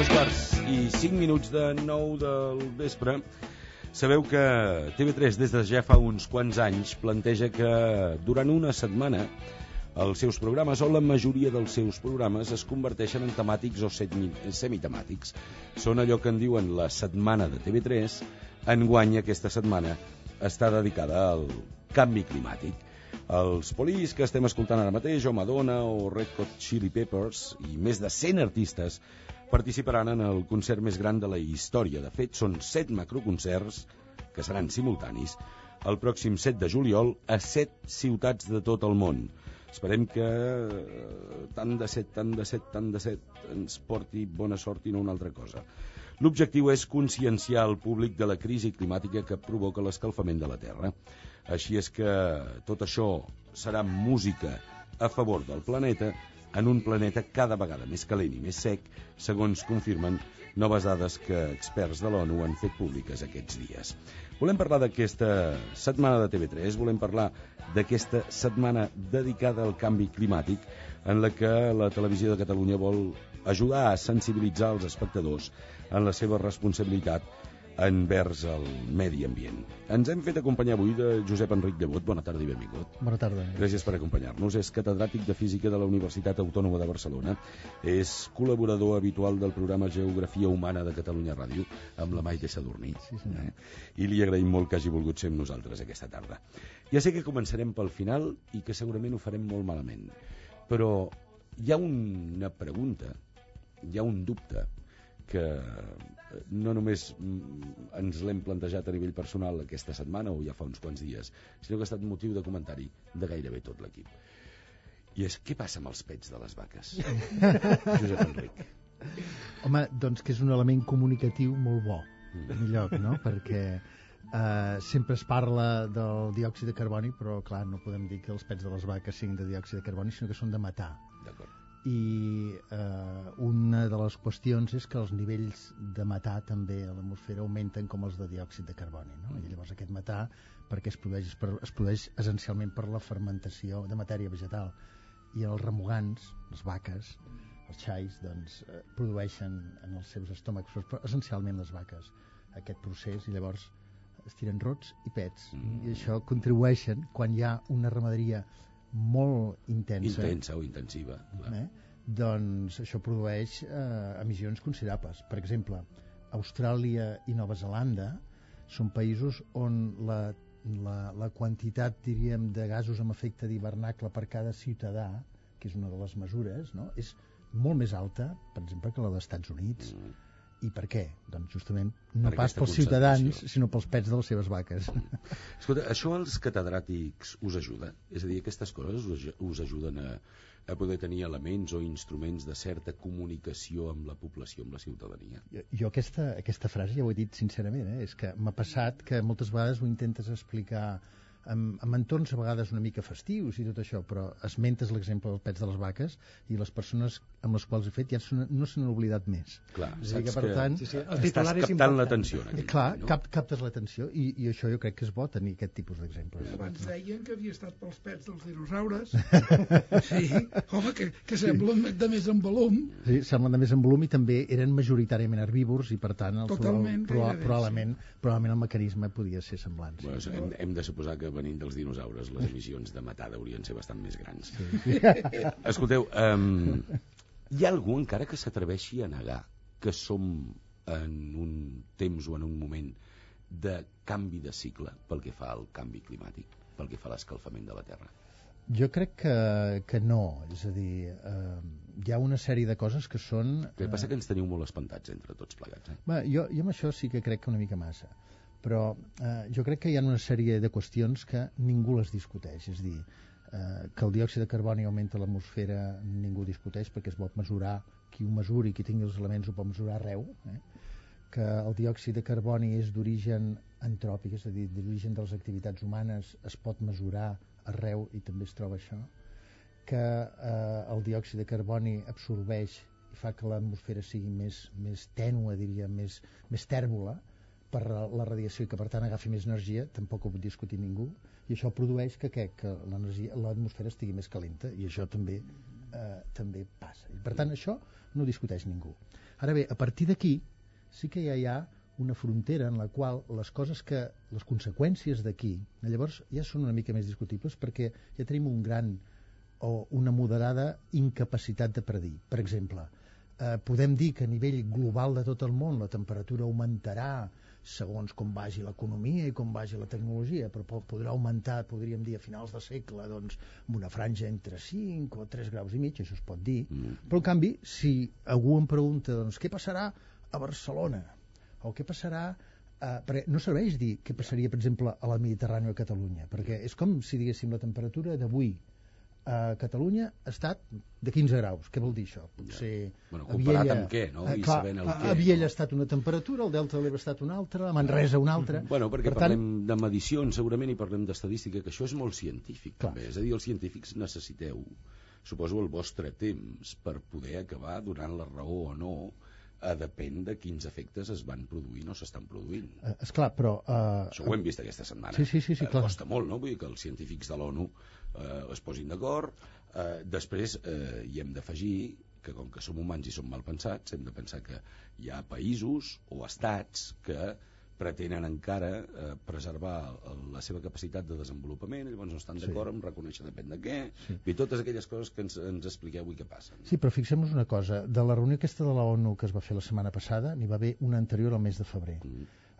2:05 de 9 del vespre. Sabeu que TV3 des de ja fa uns quants anys planteja que durant una setmana els seus programes o la majoria dels seus programes es converteixen en temàtics o semitemàtics. Són allò que en diuen la setmana de TV3. Enguany aquesta setmana està dedicada al canvi climàtic. Els Police que estem escoltant ara mateix, o Madonna o Red Hot Chili Peppers i més de 100 artistes participaran en el concert més gran de la història. De fet, són 7 macroconcerts que seran simultanis el pròxim 7 de juliol a 7 ciutats de tot el món. Esperem que tant de set ens porti bona sort i no una altra cosa. L'objectiu és conscienciar el públic de la crisi climàtica que provoca l'escalfament de la Terra. Així és que tot això serà música a favor del planeta, en un planeta cada vegada més calent i més sec, segons confirmen noves dades que experts de l'ONU han fet públiques aquests dies. Volem parlar d'aquesta setmana de TV3, volem parlar d'aquesta setmana dedicada al canvi climàtic, en la que la Televisió de Catalunya vol ajudar a sensibilitzar els espectadors en la seva responsabilitat envers el medi ambient. Ens hem fet acompanyar avui de Josep Enric Llebot. Bona tarda i benvingut. Bona tarda. Gràcies per acompanyar-nos. És catedràtic de Física de la Universitat Autònoma de Barcelona. És col·laborador habitual del programa Geografia Humana de Catalunya Ràdio amb la Maite Sadurní. Sí, senyor. I li agraïm molt que hagi volgut ser amb nosaltres aquesta tarda. Ja sé que començarem pel final i que segurament ho farem molt malament, però hi ha una pregunta, hi ha un dubte que no només ens l'hem plantejat a nivell personal aquesta setmana o ja fa uns quants dies, sinó que ha estat motiu de comentari de gairebé tot l'equip. I és, què passa amb els pets de les vaques? Josep Enric. Home, doncs que és un element comunicatiu molt bo, en lloc, no? Perquè sempre es parla del diòxid de carboni, però clar, no podem dir que els pets de les vaques siguin de diòxid de carboni, sinó que són de metà. D'acord. I una de les qüestions és que els nivells de metà també a l'atmosfera augmenten com els de diòxid de carboni, no? I llavors aquest metà, perquè es produeix essencialment per la fermentació de matèria vegetal, i els remugants, les vaques, els xais, doncs produeixen en els seus estómacs, però essencialment les vaques, aquest procés, i llavors es tiren rots i pets, i això contribueixen quan hi ha una ramaderia molt intensa o intensiva, doncs això produeix emissions considerables. Per exemple, Austràlia i Nova Zelanda són països on la quantitat, diríem, de gasos amb efecte d'hivernacle per cada ciutadà, que és una de les mesures, no? És molt més alta, per exemple, que la dels Estats Units. I per què? Doncs justament no per pas pels ciutadans, sinó pels pets de les seves vaques. Escolta, això als catedràtics us ajuda? És a dir, aquestes coses us ajuden a poder tenir elements o instruments de certa comunicació amb la població, amb la ciutadania? Jo aquesta frase ja ho he dit sincerament, és que m'ha passat que moltes vegades ho intentes explicar amb entorns a vegades una mica festius i tot això, però esmentes l'exemple dels pets de les vaques i les persones amb les quals he fet ja no se n'han oblidat més. Clar, saps que per tant, estàs captant l'atenció. Clar, captes l'atenció i això jo crec que és bo tenir aquest tipus d'exemples. Abans deien que havia estat pels pets dels dinosaures. Sí, home, que semblen de més en volum. Sí, semblen de més en volum i també eren majoritàriament herbívors i per tant probablement el mecanisme podia ser semblant. Bueno, hem de suposar que venint dels dinosaures les emissions de metà haurien ser bastant més grans. Sí. Escolteu, hi ha algú encara que s'atreveixi a negar que som en un temps o en un moment de canvi de cicle pel que fa al canvi climàtic, pel que fa a l'escalfament de la Terra? Jo crec que no, és a dir, hi ha una sèrie de coses que són... El que passa que ens teniu molt espantats entre tots plegats. Jo amb això sí que crec que una mica massa, però jo crec que hi ha una sèrie de qüestions que ningú les discuteix, és a dir, que el diòxid de carboni augmenta a l'atmosfera ningú discuteix perquè es pot mesurar, qui ho mesuri, qui tingui els elements ho pot mesurar arreu, que el diòxid de carboni és d'origen antròpic, és a dir, d'origen de les activitats humanes, es pot mesurar arreu i també es troba això, que el diòxid de carboni absorbeix i fa que l'atmosfera sigui més tènue, diria, més tèrbola per la radiació i que per tant agafi més energia, tampoc ho pot discutir ningú, i això produeix que l'atmosfera estigui més calenta, i això també passa. I per tant, això no ho discuteix ningú. Ara bé, a partir d'aquí sí que ja hi ha una frontera en la qual les conseqüències d'aquí, llavors ja són una mica més discutibles perquè ja tenim un gran o una moderada incapacitat de predir. Per exemple, podem dir que a nivell global de tot el món la temperatura augmentarà segons com vagi l'economia i com vagi la tecnologia, però podrà augmentar, podríem dir, a finals de segle, doncs, amb una franja entre 5 o 3 graus i mig, això es pot dir. Però, en canvi, si algú em pregunta, doncs, què passarà a Barcelona? O què passarà... perquè no serveix dir què passaria, per exemple, a la Mediterrània o a Catalunya, perquè és com si diguéssim la temperatura d'avui a Catalunya ha estat de 15 graus. Què vol dir això? Potser comparat amb què, no? I sabent el què. A Viella ha estat una temperatura, al Delta de l'Ebre ha estat una altra, a Manresa una altra. Perquè parlem de medicions, segurament, i parlem d'estadística, que això és molt científic, també. És a dir, els científics necessiteu, suposo, el vostre temps per poder acabar donant la raó o no. Depèn de quins efectes es van produint o s'estan produint. Esclar, però... Això ho hem vist aquesta setmana. Sí, clar. Costa molt, no? Vull dir que els científics de l'ONU es posin d'acord. Després hi hem d'afegir que, com que som humans i som mal pensats, hem de pensar que hi ha països o estats que pretenen encara preservar la seva capacitat de desenvolupament, i llavors no estan d'acord en reconèixer depèn de què, i totes aquelles coses que ens expliqueu avui que passen. Sí, però fixem-nos una cosa, de la reunió aquesta de la ONU que es va fer la setmana passada, n'hi va haver una anterior al mes de febrer.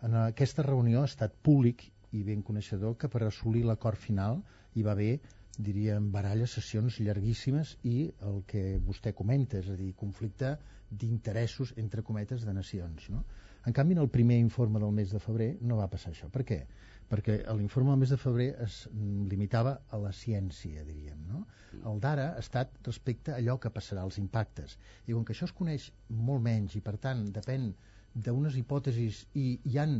En aquesta reunió ha estat públic i ben coneixedor que per assolir l'acord final hi va haver, diríem, baralles, sessions llarguíssimes i el que vostè comenta, és a dir, conflicte d'interessos, entre cometes, de nacions, no? En canvi, en el primer informe del mes de febrer no va passar això. Per què? Perquè l'informe del mes de febrer es limitava a la ciència, diríem, no? El d'ara ha estat respecte a allò que passarà, als impactes. I com que això es coneix molt menys i, per tant, depèn d'unes hipòtesis i hi han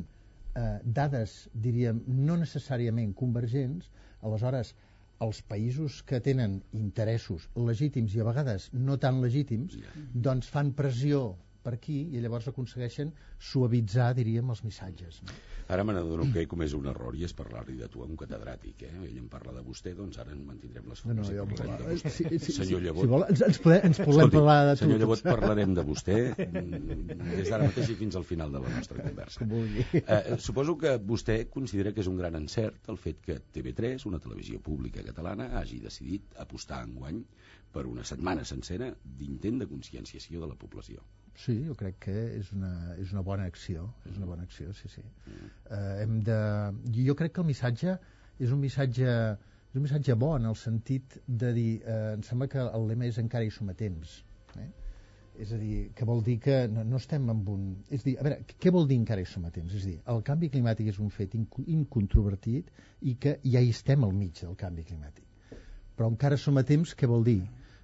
dades, diríem, no necessàriament convergents, aleshores els països que tenen interessos legítims i a vegades no tan legítims, doncs fan pressió per aquí i llavors aconsegueixen suavitzar, diríem, els missatges. Ara me n'adono que he comès un error i és parlar-li de tu a un catedràtic. Ell em parla de vostè, doncs ara en mantindrem les formes i parlarem de vostè. Senyor Llebot... Si vol, ens podem parlar de tu. Senyor Llebot, parlarem de vostè des d'ara mateix i fins al final de la nostra conversa. Suposo que vostè considera que és un gran encert el fet que TV3, una televisió pública catalana, hagi decidit apostar enguany per una setmana sencera d'intent de conscienciació de la població. Sí, jo crec que és una bona acció, sí. Jo crec que el missatge és un missatge bo en el sentit de dir, em sembla que el lema és encara hi som a temps. És a dir, que vol dir que no estem amb un... És a dir, a veure, què vol dir encara hi som a temps? És a dir, el canvi climàtic és un fet incontrovertit i que ja hi estem al mig del canvi climàtic. Però encara som a temps, què vol dir?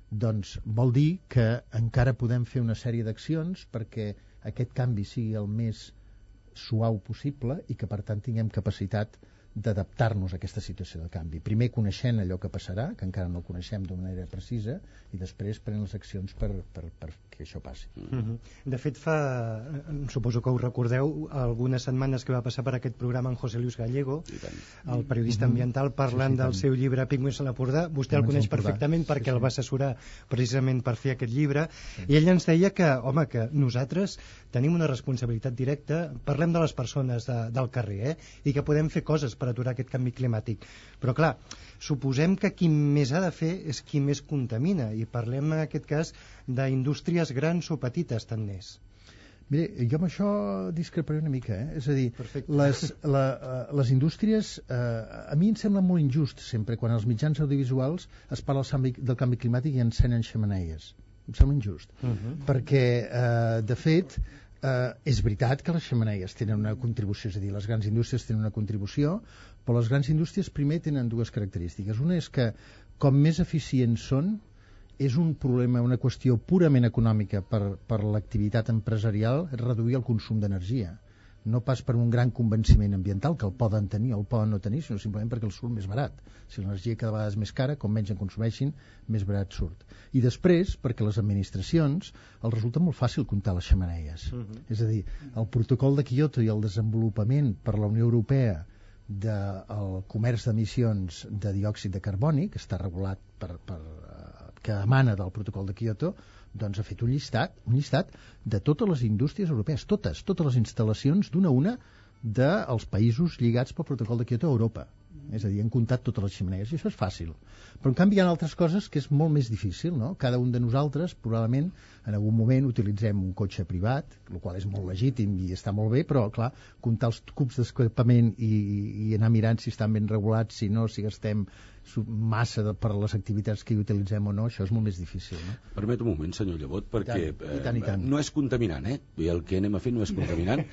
Doncs vol dir que encara podem fer una sèrie d'accions perquè aquest canvi sigui el més suau possible i que per tant tinguem capacitat d'adaptar-nos a aquesta situació de canvi. Primer coneixent allò que passarà, que encara no coneixem d'una manera precisa, i després prenent les accions per que això passi. De fet, suposo que ho recordeu, algunes setmanes que va passar per aquest programa en José Luis Gallego, el periodista ambiental, parlant del seu llibre Pigmeus a l'Empordà. Vostè el coneix perfectament perquè el va assessorar precisament per fer aquest llibre, i ell ens deia que, home, que nosaltres tenim una responsabilitat directa, parlem de les persones del carrer, i que podem fer coses per aturar aquest canvi climàtic. Però clar, suposem que qui més ha de fer és qui més contamina, i parlem en aquest cas d'indústries grans o petites, tant n'és. Mire, jo amb això discreparé una mica, és a dir, les indústries, a mi em sembla molt injust sempre quan als mitjans audiovisuals es parla del canvi climàtic i encenen xemeneies. Em sembla injust, perquè de fet és veritat que les xemeneies tenen una contribució, és a dir, les grans indústries tenen una contribució, però les grans indústries primer tenen dues característiques. Una és que com més eficients són, és un problema, una qüestió purament econòmica per l'activitat empresarial, reduir el consum d'energia. No pas per un gran convenciment ambiental, que el poden tenir o el poden no tenir, sinó simplement perquè el surt més barat. Si l'energia cada vegada és més cara, com menys en consumeixin, més barat surt. I després, perquè les administracions els resulta molt fàcil comptar les xemeneies. És a dir, el protocol de Kyoto i el desenvolupament per la Unió Europea del comerç d'emissions de diòxid de carboni, que està regulat que emana del protocol de Kyoto, doncs ha fet un llistat de totes les indústries europees, totes les instal·lacions d'una a una dels països lligats pel protocol de Kyoto a Europa. És a dir, han comptat totes les xemeneies, i això és fàcil. Però, en canvi, hi ha altres coses que és molt més difícil, no? Cada un de nosaltres, probablement, en algun moment utilitzem un cotxe privat, el qual és molt legítim i està molt bé, però, clar, comptar els cubs d'escapament i anar mirant si estan ben regulats, si no, si gastem massa per les activitats que hi utilitzem o no, això és molt més difícil, no? Permet un moment, senyor Llevot, perquè I tant. no és contaminant, I el que anem a fer no és contaminant,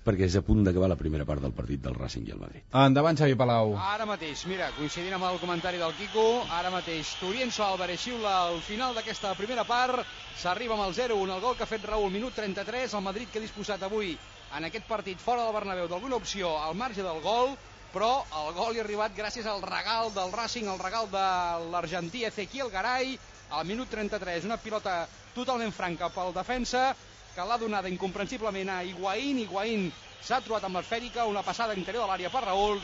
perquè és a punt d'acabar la primera part del partit del Racing i el Madrid. Endavant, Xavi Palau. Ara mateix, mira, coincidint amb el comentari del Quico, ara mateix Turienzo Álvarez xiula al final d'aquesta primera part, s'arriba amb el 0-1, el gol que ha fet Raúl, minut 33, el Madrid que ha disposat avui en aquest partit fora del Bernabéu d'alguna opció al marge del gol, però el gol hi ha arribat gràcies al regal del Racing, el regal de l'argentí Ezequiel Garay, al minut 33, una pilota totalment franca pel defensa, que l'ha donada incomprensiblement a Higuaín s'ha trobat amb l'esfèrica, una passada interior de l'àrea per Raúl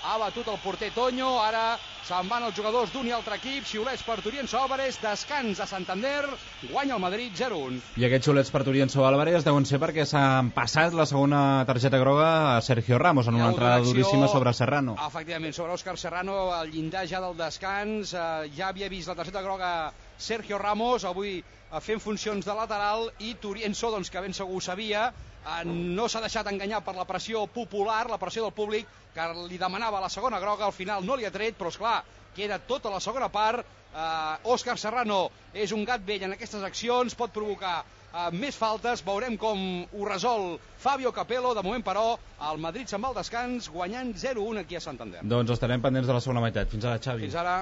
ha batut el porter Toño, ara se'n van els jugadors d'un i altre equip, xiulets per Turienzo Álvarez, descans a Santander, guanya el Madrid 0-1. I aquests xiulets per Turienzo Álvarez deuen ser perquè s'han passat la segona targeta groga a Sergio Ramos en una entrada duríssima sobre Serrano. Efectivament, sobre Òscar Serrano, al llindar ja del descans, ja havia vist la targeta groga Sergio Ramos, avui fent funcions de lateral, i Turienzo, doncs, que ben segur ho sabia, no s'ha deixat enganyar per la pressió popular, la pressió del públic, que li demanava la segona groga, al final no li ha tret, però esclar, queda tota la segona part. Òscar Serrano és un gat vell en aquestes accions, pot provocar més faltes, veurem com ho resol Fabio Capello. De moment, però, el Madrid se'n va al descans, guanyant 0-1 aquí a Santander. Doncs estarem pendents de la segona meitat. Fins ara, Xavi. Fins ara.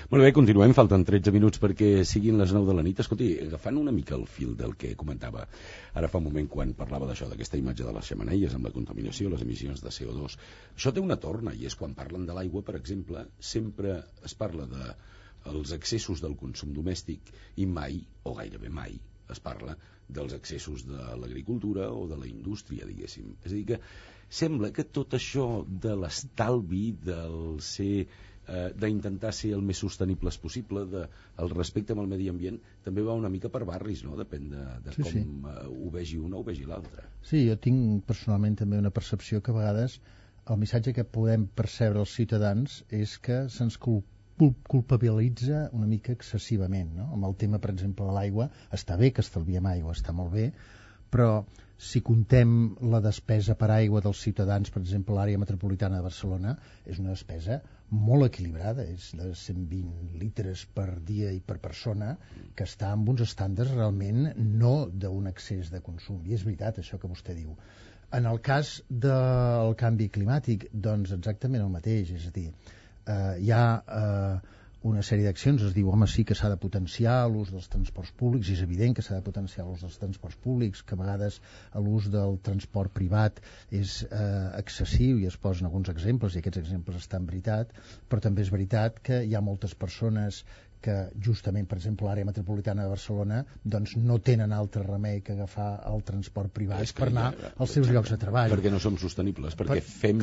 Molt bé, continuem, falten 13 minuts perquè siguin les 9 de la nit. Escolti, agafant una mica el fil del que comentava ara fa un moment quan parlava d'això, d'aquesta imatge de les xemeneies amb la contaminació, les emissions de CO2, això té una torna, i és quan parlen de l'aigua, per exemple, sempre es parla dels excessos del consum domèstic i mai, o gairebé mai, es parla dels excessos de l'agricultura o de la indústria, diguéssim. És a dir, que sembla que tot això de l'estalvi, del ser d'intentar ser el més sostenibles possible, el respecte amb el medi ambient, també va una mica per barris, no? Depèn de com ho vegi un o ho vegi l'altre. Sí, jo tinc personalment també una percepció que a vegades el missatge que podem percebre els ciutadans és que se'ns culpabilitza una mica excessivament, no? Amb el tema, per exemple, de l'aigua, està bé que estalviem aigua, està molt bé, però si contem la despesa per aigua dels ciutadans, per exemple, l'àrea metropolitana de Barcelona, és una despesa molt equilibrada, és de 120 litres per dia i per persona, que està amb uns estàndards realment no d'un excés de consum. I és veritat això que vostè diu. En el cas del canvi climàtic, doncs exactament el mateix, és a dir, hi ha una sèrie d'accions, es diu, home, sí que s'ha de potenciar l'ús dels transports públics, i és evident que s'ha de potenciar l'ús dels transports públics, que a vegades l'ús del transport privat és excessiu, i es posen alguns exemples, i aquests exemples estan veritat, però també és veritat que hi ha moltes persones que justament, per exemple, l'àrea metropolitana de Barcelona, doncs no tenen altre remei que agafar el transport privat per anar als seus llocs de treball. Perquè no som sostenibles, perquè fem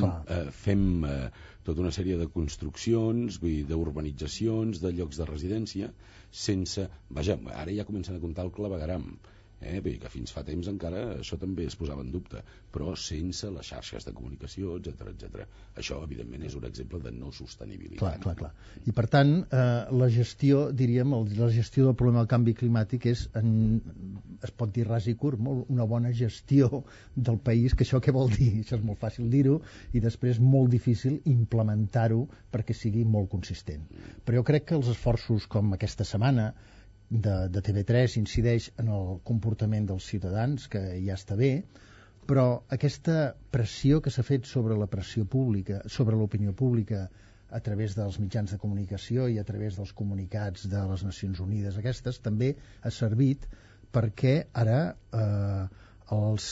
tota una sèrie de construccions, d'urbanitzacions, de llocs de residència, sense... Vaja, ara ja comencen a comptar el clavegueram, bé, que fins fa temps encara això també es posava en dubte, però sense les xarxes de comunicació, etc. Això, evidentment, és un exemple de no sostenibilitat. Clar. I, per tant, la gestió, diríem, la gestió del problema del canvi climàtic és, es pot dir ras i curt, una bona gestió del país, que això què vol dir? Això és molt fàcil dir-ho, i després molt difícil implementar-ho perquè sigui molt consistent. Però jo crec que els esforços com aquesta setmana de TV3 incideix en el comportament dels ciutadans, que ja està bé, però aquesta pressió que s'ha fet sobre la pressió pública, sobre l'opinió pública, a través dels mitjans de comunicació i a través dels comunicats de les Nacions Unides, aquestes també ha servit perquè ara els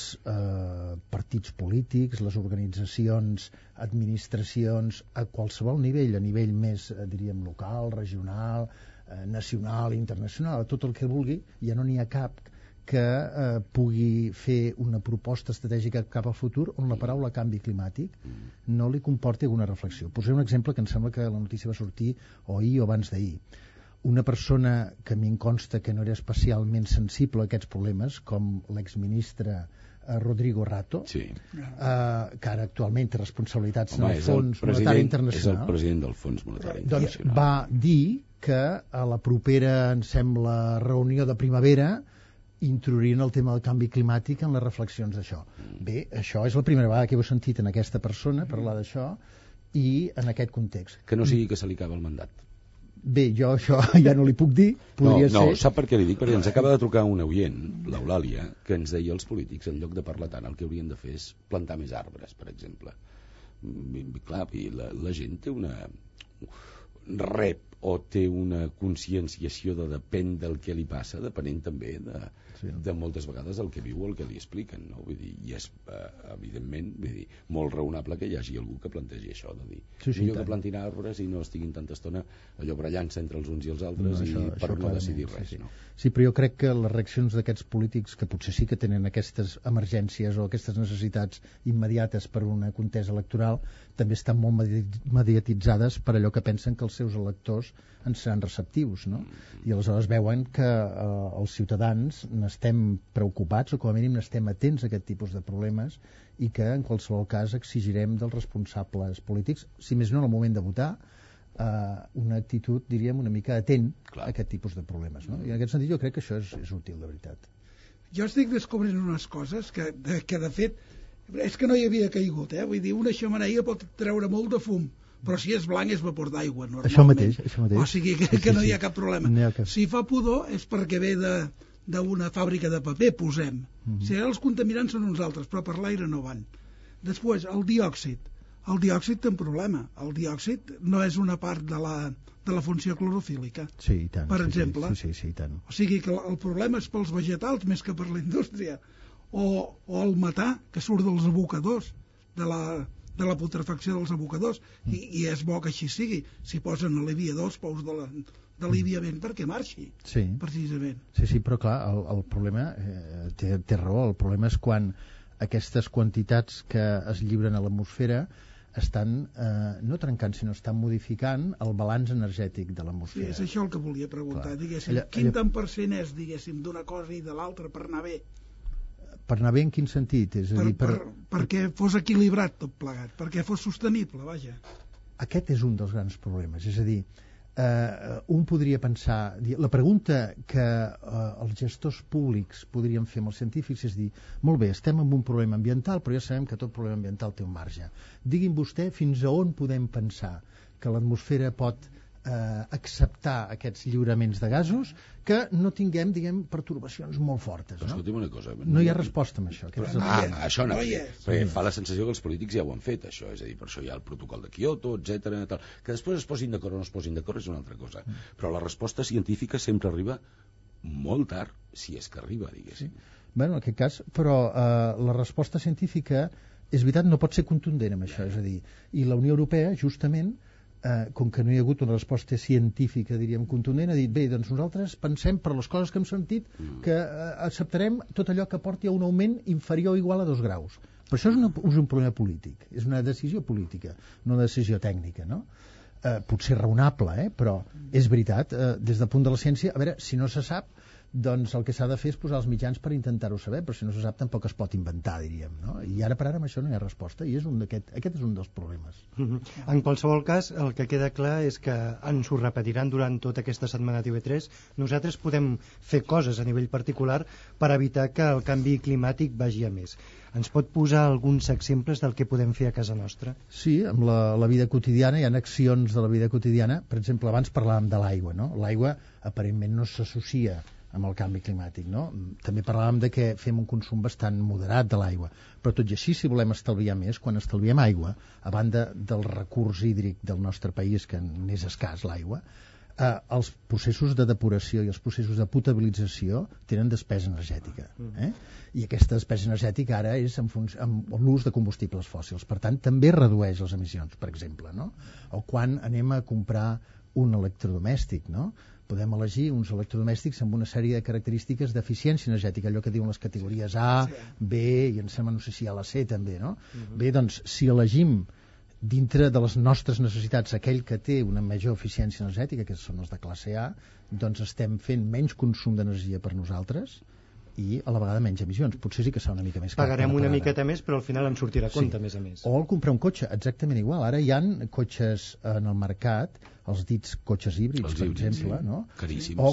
partits polítics, les organitzacions, administracions, a qualsevol nivell, a nivell més, diríem, local, regional, nacional, internacional, tot el que vulgui, ja no n'hi ha cap que pugui fer una proposta estratègica cap al futur on la paraula canvi climàtic no li comporti alguna reflexió. Posaré un exemple que em sembla que la notícia va sortir o ahir o abans d'ahir. Una persona que a mi em consta que no era especialment sensible a aquests problemes, com l'exministre Rodrigo Rato, sí. Que ara actualment té responsabilitats en el Fons Monetari Internacional. És el president del Fons Monetari Internacional. Doncs va dir que a la propera, em sembla, reunió de primavera introduirien el tema del canvi climàtic en les reflexions d'això. Bé, això és la primera vegada que ho he sentit en aquesta persona parlar d'això i en aquest context. Que no sigui que se li acaba el mandat. Bé, jo això ja no li puc dir. Podria ser... Sap per què li dic? Perquè ens acaba de trucar una oient, l'Eulàlia, que ens deia els polítics, en lloc de parlar tant, el que haurien de fer és plantar més arbres, per exemple. Clar, i la gent té rep o té una conscienciació de depèn del que li passa, depenent també de moltes vegades el que viu o el que li expliquen, no? Vull dir, i és evidentment molt raonable que hi hagi algú que plantegi això, de dir millor que plantin arbres i no estiguin tanta estona allò barallant-se entre els uns i els altres per no decidir res. Sí, però jo crec que les reaccions d'aquests polítics, que potser sí que tenen aquestes emergències o aquestes necessitats immediates per una contesa electoral, també estan molt mediatitzades per allò que pensen que els seus electors en seran receptius, no? I aleshores veuen que els ciutadans n'estem preocupats o com a mínim n'estem atents a aquest tipus de problemes i que en qualsevol cas exigirem dels responsables polítics, si més no en el moment de votar, una actitud, diríem, una mica atent a aquest tipus de problemes, no? I en aquest sentit jo crec que això és útil, de veritat. Jo estic descobrint unes coses que de fet és que no hi havia caigut, vull dir, una xemeneia pot treure molt de fum, però si és blanc és vapor d'aigua, normalment. Això mateix. O sigui que no hi ha cap problema. Si fa pudor és perquè ve d'una fàbrica de paper, posem. Si ara els contaminants són uns altres, però per l'aire no van. Després, el diòxid. El diòxid té un problema. El diòxid no és una part de la funció clorofílica. Sí, i tant. Per exemple. Sí, i tant. O sigui que el problema és pels vegetals més que per la indústria. O el metà que surt dels abocadors, de la putrefacció dels abocadors, i és bo que així sigui. Si posen aliviadors, pous d'aliviament perquè marxi, precisament. Sí, però clar, el problema, té raó, el problema és quan aquestes quantitats que es lliuren a l'atmosfera estan no trencant, sinó estan modificant el balanç energètic de l'atmosfera. Sí, és això el que volia preguntar, diguéssim. Quin tant per cent és, diguéssim, d'una cosa i de l'altra per anar bé? Per anar bé en quin sentit? És a dir, perquè fos equilibrat tot plegat, perquè fos sostenible, vaja. Aquest és un dels grans problemes, és a dir, un podria pensar, la pregunta que els gestors públics podrien fer amb els científics és dir, molt bé, estem en un problema ambiental, però ja sabem que tot problema ambiental té un marge. Digui'm vostè fins a on podem pensar que l'atmosfera pot acceptar aquests lliuraments de gasos que no tinguem, diguem, pertorbacions molt fortes, no? Escolti'm una cosa. No hi ha resposta amb això. Això no hi és. Perquè fa la sensació que els polítics ja ho han fet, això. És a dir, per això hi ha el protocol de Kyoto, etc. Que després es posin d'acord o no es posin d'acord és una altra cosa. Però la resposta científica sempre arriba molt tard, si és que arriba, diguéssim. Bueno, en aquest cas, però la resposta científica, és veritat, no pot ser contundent amb això. És a dir, i la Unió Europea, justament, com que no hi ha hagut una resposta científica, diríem, contundent, ha dit, bé, doncs nosaltres pensem, per les coses que hem sentit, que acceptarem tot allò que porti a un augment inferior o igual a 2 graus. Però això és un problema polític, és una decisió política, no una decisió tècnica, no? Potser raonable, però és veritat, des del punt de la ciència, a veure, si no se sap, doncs el que s'ha de fer és posar els mitjans per intentar-ho saber, però si no se sap tampoc es pot inventar, diríem, no? I ara per ara amb això no hi ha resposta, i aquest és un dels problemes. En qualsevol cas, el que queda clar és que ens ho repetiran durant tota aquesta setmana TV3. Nosaltres podem fer coses a nivell particular per evitar que el canvi climàtic vagi a més. Ens pot posar alguns exemples del que podem fer a casa nostra? Sí, amb la vida quotidiana, hi ha accions de la vida quotidiana. Per exemple, abans parlàvem de l'aigua, no? L'aigua aparentment no s'associa amb el canvi climàtic, no? També parlàvem de que fem un consum bastant moderat de l'aigua, però tot i així, si volem estalviar més, quan estalviem aigua, a banda del recurs hídric del nostre país, que n'és escàs l'aigua, els processos de depuració i els processos de potabilització tenen despesa energètica. I aquesta despesa energètica ara és amb l'ús de combustibles fòssils. Per tant, també redueix les emissions, per exemple, no? O quan anem a comprar un electrodomèstic, no? podem elegir uns electrodomèstics amb una sèrie de característiques d'eficiència energètica, allò que diuen les categories A, B, i em sembla, no sé si hi ha la C també, no? Bé, doncs, si elegim dintre de les nostres necessitats aquell que té una major eficiència energètica, que són els de classe A, doncs estem fent menys consum d'energia per nosaltres i a la vegada menys emissions. Potser sí que serà una mica més car. Pagarem una miqueta més, però al final ens sortirà a compte, a més a més. O al comprar un cotxe, exactament igual. Ara hi ha cotxes en el mercat, els dits cotxes híbrids, per exemple, no? Caríssims. O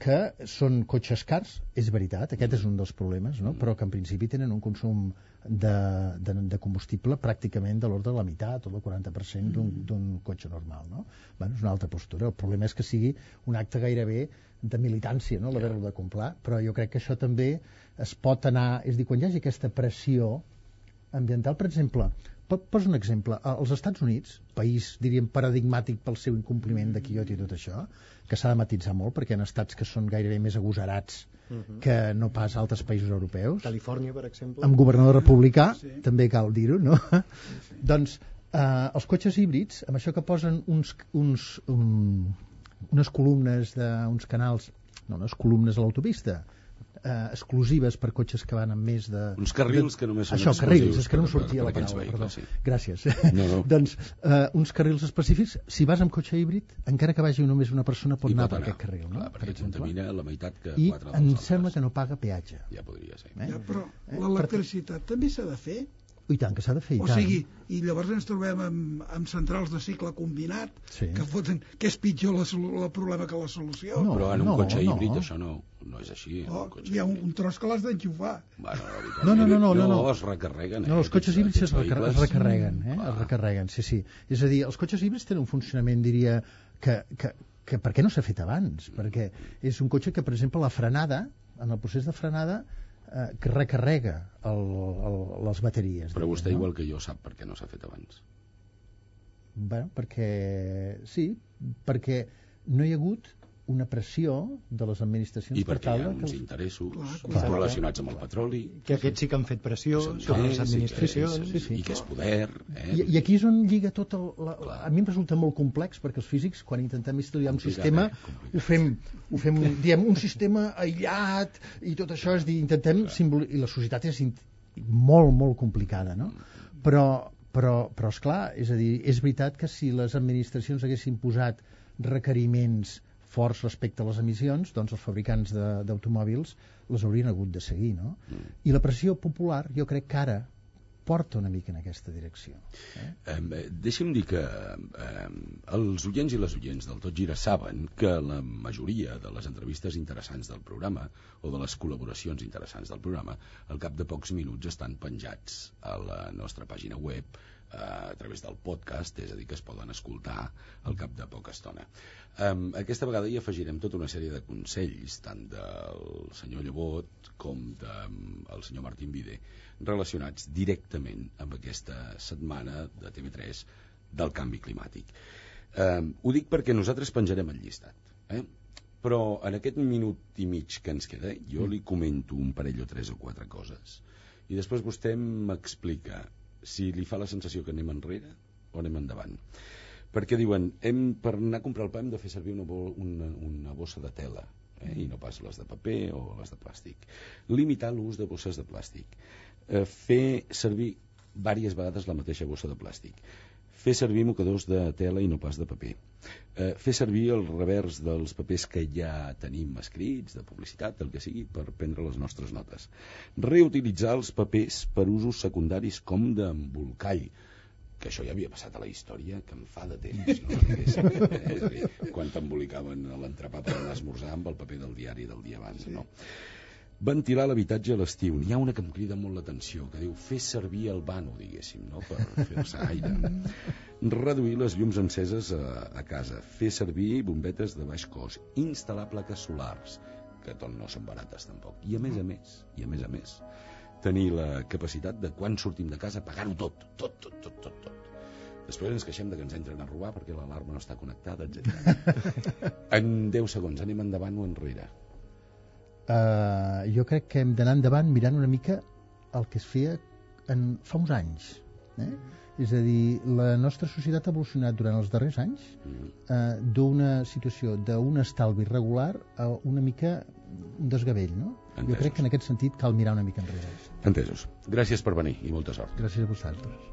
que són cotxes cars, és veritat, aquest és un dels problemes, no? Però que en principi tenen un consum de combustible pràcticament de l'ordre de la meitat o del 40% d'un cotxe normal, no? Bueno, és una altra postura. El problema és que sigui un acte gairebé de militància, no? L'haver-lo de comprar, però jo crec que això també es pot anar, és a dir, quan hi hagi aquesta pressió ambiental, per exemple, poso un exemple, als Estats Units, país, diríem, paradigmàtic pel seu incompliment de Kyoto i tot això, que s'ha de matisar molt perquè hi ha estats que són gairebé més agosarats que no pas altres països europeus. Califòrnia, per exemple. Amb governador republicà, també cal dir-ho, no? Doncs els cotxes híbrids, amb això que posen unes columnes d'uns canals, no, unes columnes a l'autopista, exclusives per cotxes que van amb més de... Uns carrils que només són exclusius. Això, carrils, és que no em sortia la paraula, perdó. Sí. Gràcies. No. Doncs uns carrils específics, si vas amb cotxe híbrid, encara que vagi només una persona pot anar per aquest carril, no? Clar, perquè contamina la meitat que I 4 dels em sembla que no paga peatge. Ja podria ser. Ja, però l'electricitat també s'ha de fer. I tant, que s'ha de fer, o sigui, i llavors ens trobem amb centrals de cicle combinat que foten que és pitjor el problema que la solució. No, però en un cotxe híbrid això no és així. Hi ha un tros que l'has d'enxufar. No, es recarreguen. No, els cotxes híbrids es recarreguen, es recarreguen, sí. És a dir, els cotxes híbrids tenen un funcionament, diria, que per què no s'ha fet abans? Perquè és un cotxe que, per exemple, la frenada, en el procés de frenada, que recarrega les bateries. Però vostè, igual que jo, sap per què no s'ha fet abans. Bé, perquè no hi ha hagut una pressió de les administracions i perquè hi ha uns interessos relacionats amb el petroli, que aquests sí que han fet pressió sobre les administracions, i que és poder, i aquí és on lliga tot a mi em resulta molt complex, perquè els físics, quan intentem estudiar un sistema, ho fem diem un sistema aïllat i tot això, és dir, intentem i la societat és molt, molt complicada, no? Però esclar, és a dir, és veritat que si les administracions haguessin posat requeriments forts respecte a les emissions, doncs els fabricants d'automòbils les haurien hagut de seguir, no? I la pressió popular jo crec que ara porta una mica en aquesta direcció. Deixi'm dir que els oients i les oients del Tot Gira saben que la majoria de les entrevistes interessants del programa o de les col·laboracions interessants del programa al cap de pocs minuts estan penjats a la nostra pàgina web a través del podcast, és a dir, que es poden escoltar al cap de poca estona. Aquesta vegada hi afegirem tota una sèrie de consells, tant del senyor Llevot com del senyor Martín Vide, relacionats directament amb aquesta setmana de TV3 del canvi climàtic. Ho dic perquè nosaltres penjarem el llistat, però en aquest minut i mig que ens queda jo li comento un parell o 3 o 4 coses i després vostè m'explica si li fa la sensació que anem enrere o anem endavant. Perquè diuen, per anar a comprar el pa hem de fer servir una bossa de tela, i no pas les de paper o les de plàstic. Limitar l'ús de bosses de plàstic. Fer servir diverses vegades la mateixa bossa de plàstic. Fer servir mocadors de tela i no pas de paper. Fer servir el revers dels papers que ja tenim escrits, de publicitat, del que sigui, per prendre les nostres notes. Reutilitzar els papers per usos secundaris com d'embolcall, que això ja havia passat a la història, que em fa de temps, no? Quan t'embolicaven l'entrepà per anar a esmorzar amb el paper del diari del dia abans, no? Ventilar l'habitatge a l'estiu. N'hi ha una que em crida molt l'atenció, que diu fer servir el vano, diguéssim, no? Per fer-se aire. Reduir les llums enceses a casa. Fer servir bombetes de baix cost. Instal·lar plaques solars, que tot no són barates tampoc. I a més a més, tenir la capacitat de quan sortim de casa pagar-ho tot. Després ens queixem de que ens entren a robar perquè l'alarma no està connectada, etc. En 10 segons, anem endavant o enrere? Jo crec que hem d'anar endavant mirant una mica el que es feia fa uns anys. És a dir, la nostra societat ha evolucionat durant els darrers anys d'una situació d'un estalvi regular a una mica un desgavell, no? Entesos. Jo crec que en aquest sentit cal mirar una mica enrere. Entesos. Gràcies per venir i molta sort. Gràcies a vosaltres.